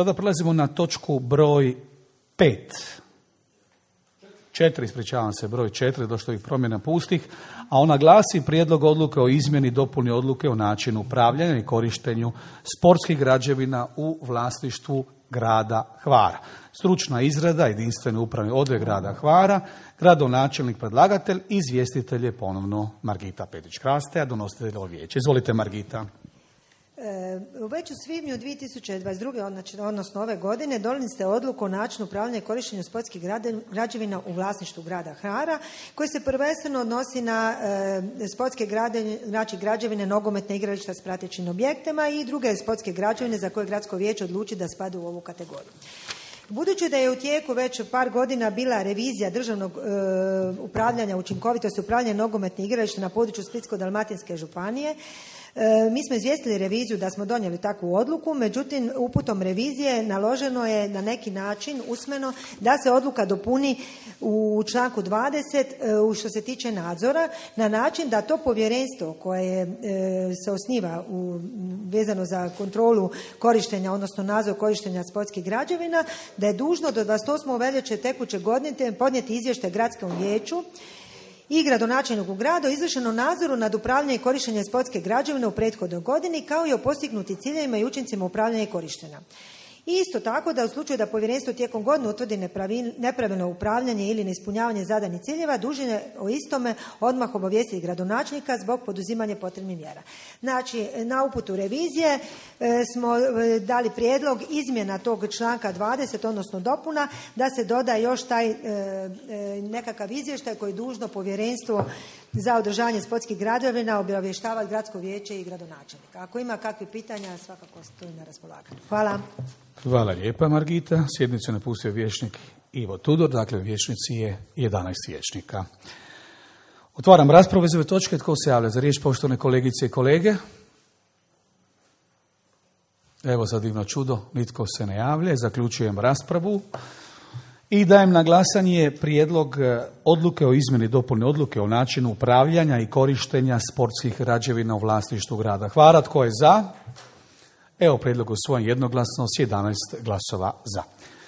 Sada prelazimo na točku broj 5. 4, ispričavam se, broj 4, došlo ih promjena pustih, a ona glasi Prijedlog odluke o izmjeni i dopuni odluke o načinu upravljanja i korištenju sportskih građevina u vlasništvu grada Hvara. Stručna izrada, jedinstveni upravni odjel grada Hvara, gradonačelnik predlagatelj, izvjestitelj je ponovno Margita Petić-Kraste, a donositelj ovog vijeća. Izvolite, Margita. Već u svibnju 2022. odnosno ove godine donijeli ste odluku o načinu upravljanja i korištenju sportskih građevina u vlasništvu grada Hvara, koji se prvenstveno odnosi na sportske građevine, nogometne igrališta s pratećim objektima i druge sportske građevine za koje gradsko vijeće odluči da spadaju u ovu kategoriju. Budući da je u tijeku već par godina bila revizija državnog upravljanja, učinkovitosti upravljanja nogometnih igrališta na području Splitsko-dalmatinske županije, mi smo izvijestili reviziju da smo donijeli takvu odluku, međutim uputom revizije naloženo je na neki način usmeno da se odluka dopuni u članku 20 što se tiče nadzora, na način da to povjerenstvo koje se osniva vezano za kontrolu korištenja, odnosno nadzor korištenja sportskih građevina, da je dužno do 28. veljače tekuće godine podnijeti izvještaj gradskom vijeću i gradonačelniku grada o izvršenom nadzoru nad upravljanjem i korištenjem sportske građevine u prethodnoj godini, kao i o postignutim ciljevima i učincima upravljanja i korištenja. Isto tako da u slučaju da povjerenstvo tijekom godine utvrdi nepravilno upravljanje ili neispunjavanje zadanih ciljeva, dužno je o istome odmah obavijestiti gradonačelnika zbog poduzimanja potrebnih mjera. Znači, na uputu revizije smo dali prijedlog izmjena tog članka 20, odnosno dopuna, da se doda još taj nekakav izvještaj koji je dužno povjerenstvo za održavanje sportskih građevina obavještavati gradsko vijeće i gradonačelnika. Ako ima kakvih pitanja, svakako stojim na raspolaganju. Hvala. Hvala lijepa, Margita. Sjednicu je napustio vijećnik Ivo Tudor, dakle u vijećnici je 11 vijećnika. Otvaram raspravu iz ove točke. Tko se javlja za riječ, poštovane kolegice i kolege? Evo za divno čudo, nitko se ne javlja. Zaključujem raspravu i dajem na glasanje prijedlog odluke o izmjeni i dopuni odluke o načinu upravljanja i korištenja sportskih građevina u vlasništvu grada Hvara. Tko je za? Evo prijedlog usvojen jednoglasno s 11 glasova za.